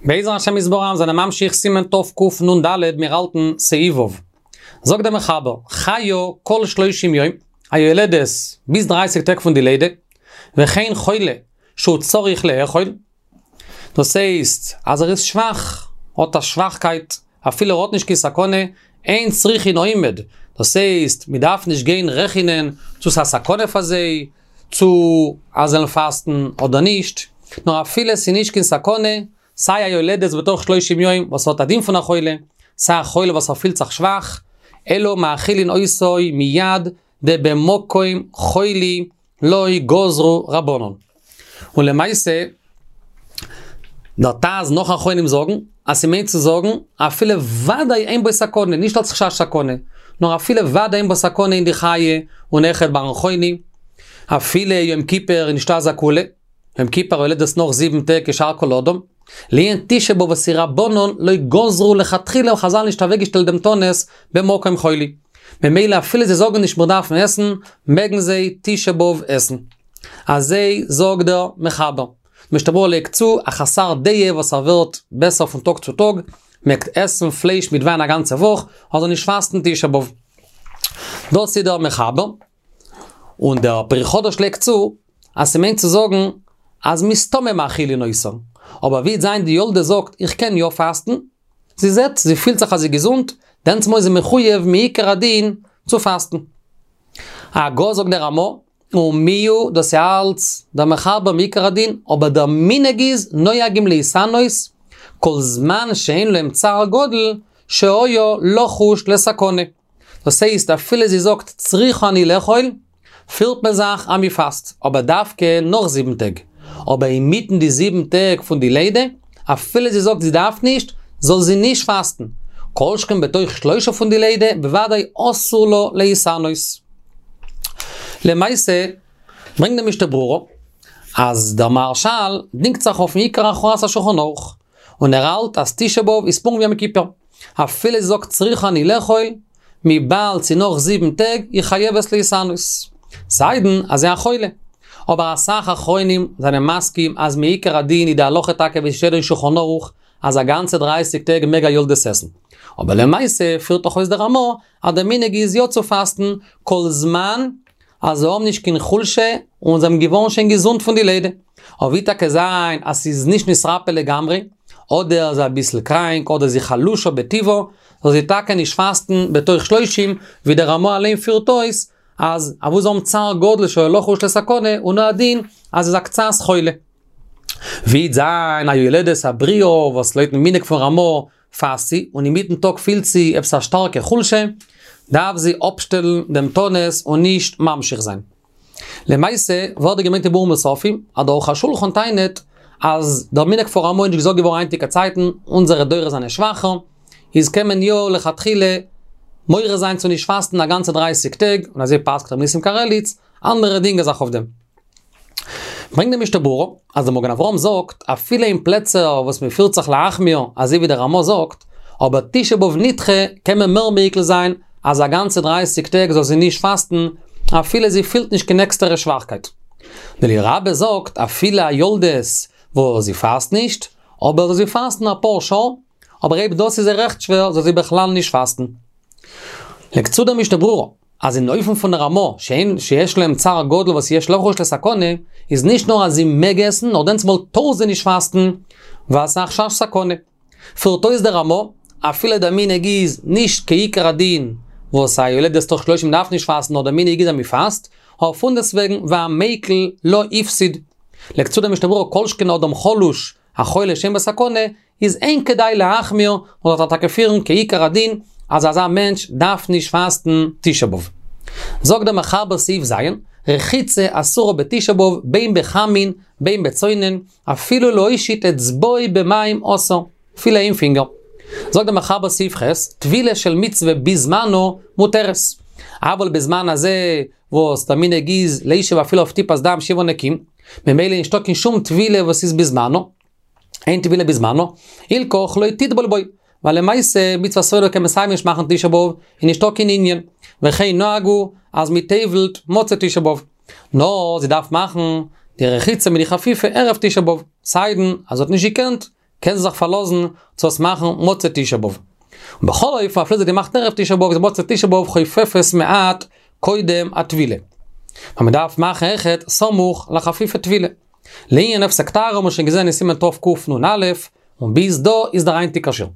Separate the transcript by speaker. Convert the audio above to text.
Speaker 1: בעזר השם יתברך זענען ממשיך סימן תקנ"ד מיר האלטן סעיף ו'. זאגט דער מחבר, חיה כל שלושים יום, א יולדת ביז דרייסיג טעג פון די לידה, וכן חולה שהוא צריך לאכול, דאס הייסט אז ער איז שוואך, האט א שוואכקייט, אפילו ער האט נישט קיין סכנה, אין צריכין אומד, דאס הייסט מען דארף נישט גיין רעכענען צו ס'איז א סכנה פאר זיי, צו אז זיי זאלן פאסטן אדער נישט, נאר אפילו ס'איז נישט קיין סכנה, סיי א יולדת בתוך שלושים יום וואס האט א דין פון א חולה, סיי א חולה וואס ער פילט זיך שוואך, אלא מאכילין אותו מיד דבמקום חולי לא גזרו רבנן. און למעשה, דער ט"ז נאך אחרונים זאגן, אז ס'מיינט צו זאגן, אפילו ודאי אין בו סכנה, נישט אלס חשש סכנה, נאר אפילו ודאי אין בו סכנה אין די חיי און אויכעט ביים חולי, אפילו יום כיפור איז נישטא אזא קולא, יום כיפור יולדת נאך זיבן טעג כשאר כל אדם, לענין תשעה באב וואס איז רבנן לא גזרו לכתחילה האבן חזל נישט אוועקגעשטעלט דעם תענית במקום חולי. ממילא אפילו זיי זאגן נישט מיר דארפן עסן, מעגן זיי תשעה באב עסן. אזוי זאגט דער מחבר. משנה ברורה לייגט צו, א חסר דעה וואס ער ווערט בעסער פון טאג צו טאג, מעג עסן פלייש מיט וויין א גאנצע וואך, אבער זאל נישט פאסטן תשעה באב. דאס איז דער מחבר. און דער פרי חדש לייגט צו, אז ס'מיינט צו זאגן אז מסתמא מאכילין אותה. אבער ווי וועט זיין די יולדת זאגט איך קען יא פאסטן, זי זעט, זי פילט זיך אז זי געזונט, דענסמאל איז זי מחויב מעיקר הדין צו פאסטן. הגה זאגט דער רמא, ומיהו דאס איז אלץ דער מחבר מעיקר הדין, אבער דער מנהג איז נוהגים להתענות כל זמן שאין להם צער גדול שהיה לחוש לסכנה. דאס הייסט אפילו זי זאגט צריכה אני לאכול, פירט מען זיך אז מ'פאסט, אבער דווקא נאך זיבן טעג. אבער אינמיטן די זיבן טעג פון די לידה, אפילו זי זאגט זי דארף נישט, זאל זי נישט פאסטן. כל שכן בתוך שלושה פון די לידה, בוודאי אסור לה להתענות. למעשה, ברענגט די משנה ברורה, אז דער מהרשל דינגט זיך אויפן עיקר הכרעת השולחן ערוך, און ער האלט אז תשעה באב איז פונקט ווי יום כיפור. אפילו זי זאגט צריכה אני לאכול, וויבאלד ס'איז נאך זיבן טעג, היא חייבת להתענות. סיידן אז זי א חולה. אבער אסאך אחרונים זענען מסכים אז מעיקר הדין איז די הלכה טאקע ווי ס'שטייט אין שולחן ערוך אז א גאנצע דרייסיג טעג מעג א יולדת עסן. אבער למעשה פירט דאך אויס דער רמא אז דער מנהג איז יא צו פאסטן כל זמן אז זיי האבן נישט קיין חולשה און זיי האבן געווארן שוין געזונט פון די לידה. אבער ווי טאקע זיין אז ס'איז נישט נתרפא לגמרי, אדער זי אביסל קראנק אדער זי חלושה בטבעה, זאל זי טאקע נישט פאסטן בתוך שלושים, ווי דער רמא אליין פירט אויס אז אוואו זיי האבן צער גדול שהיה לחוש לסכנה הוא הדין אז איז א קצת חולה. ווי וועט זיין א יולדת א בריאה וואס לויטן מנהג פון רמא פאסט זי, און אינמיטן טאג פילט זי עפעס א שטארקע חולשה, דארף זי אפשטעלן דעם תענית און נישט ממשיך זיין. למעשה, ווערט דא געברענגט אין ביאור מוספים, אז דער ערוך השולחן טענה'ט אז דער מנהג פון רמא איז נישט געזאגט געווארן היינטיגע צייטן, אונזערע דורות זענען שוואכער, איז קען מען יא לכתחילה מורה זיין צו נישט פאסטן א גאנצע דרייסיג טעג, און אזוי פסק'ט רבי ניסים קרליץ, אנדערע דינגען זיך אויף דעם. ברענגט די משנה ברורה, אז דער מגן אברהם זאגט, אפילו אין פלעצער וואס מען פירט זיך להחמיר, אזוי ווי דער רמא זאגט, אבער תשעה באב נדחה קען מען מער מיקל זיין, אז א גאנצע דרייסיג טעג זאל זי נישט פאסטן, אפילו זי פילט נישט קיין עקסטערע שוואכקייט. דער אליה רבה זאגט, אפילו א יולדת וואס זי פאסט נישט, אבער זאל זי פאסטן אפאר שעה, אבער אויב דאס איז איר רעכט שווער, זאל זי בכלל נישט פאסטן. לייגט צו דער משנה ברורה, אז אין אופן פון רמא, שאין שיש להם צער גדול וואס יש לחוש לסכנה, איז נישט נאר אז זי מעג עסן, נאר דענסמאל טאר זי נישט פאסטן, ווייל ס'איז א חשש סכנה. פירט אויס דער רמא, אפילו דער מנהג איז נישט כעיקר הדין, וואס א יולדת תוך שלושים דארף נישט פאסטן, נאר דער מנהג איז אז מ'פאסט, אבער פונדעסטוועגן והמיקל לא הפסיד. לייגט צו דער משנה ברורה כל שכן אדם חלוש, א חולה שאין בו סכנה, איז אין כדאי להחמיר, און זאל טאקע פירן כעיקר הדין, אז אזא מענטש דארף נישט פאסטן תשעה באב. זאגט דער מחבר סעיף ז', רחיצה אסורה בתשעה באב בין בחמין בין בצונן, אפילו להושיט אצבעו במים אסור, אפילו איין פינגער. זאגט דער מחבר סעיף ח', טבילה של מצוה בזמנה מותרת. אבל בזמן הזה וואס דער מנהג איז לישב אפילו אויף טיפת דם שבעה נקיים, ממילא נישטא קיין שום טבילה וואס איז בזמנה, אין טבילה בזמנה, הילכך לא תטבול בו, ווייל למעשה מצוות סולו קען מען סיי ווי נישט מאכן תשעה באב, איז נישטא קיין ענין, וכן נהגו אז מ'טובל'ט מוצאי תשעה באב. נאר זי דארף מאכן די רחיצה מיט די חפיפה ערב תשעה באב, סיידן אז זי האט נישט געקענט. קען זי זיך פארלאזן צו עס מאכן מוצאי תשעה באב. ובכל אופן אפילו זי האט געמאכט ערב תשעה באב איז מוצאי תשעה באב חופפת מעט קודם הטבילה. ווייל מען דארף מאכן אויכעט סמוך לחפיפת טבילה. לענין הפסק טהרה האבן מיר שוין געזען אין סימן תקנ"א, און ביז דא איז דער היינטיגער שיעור.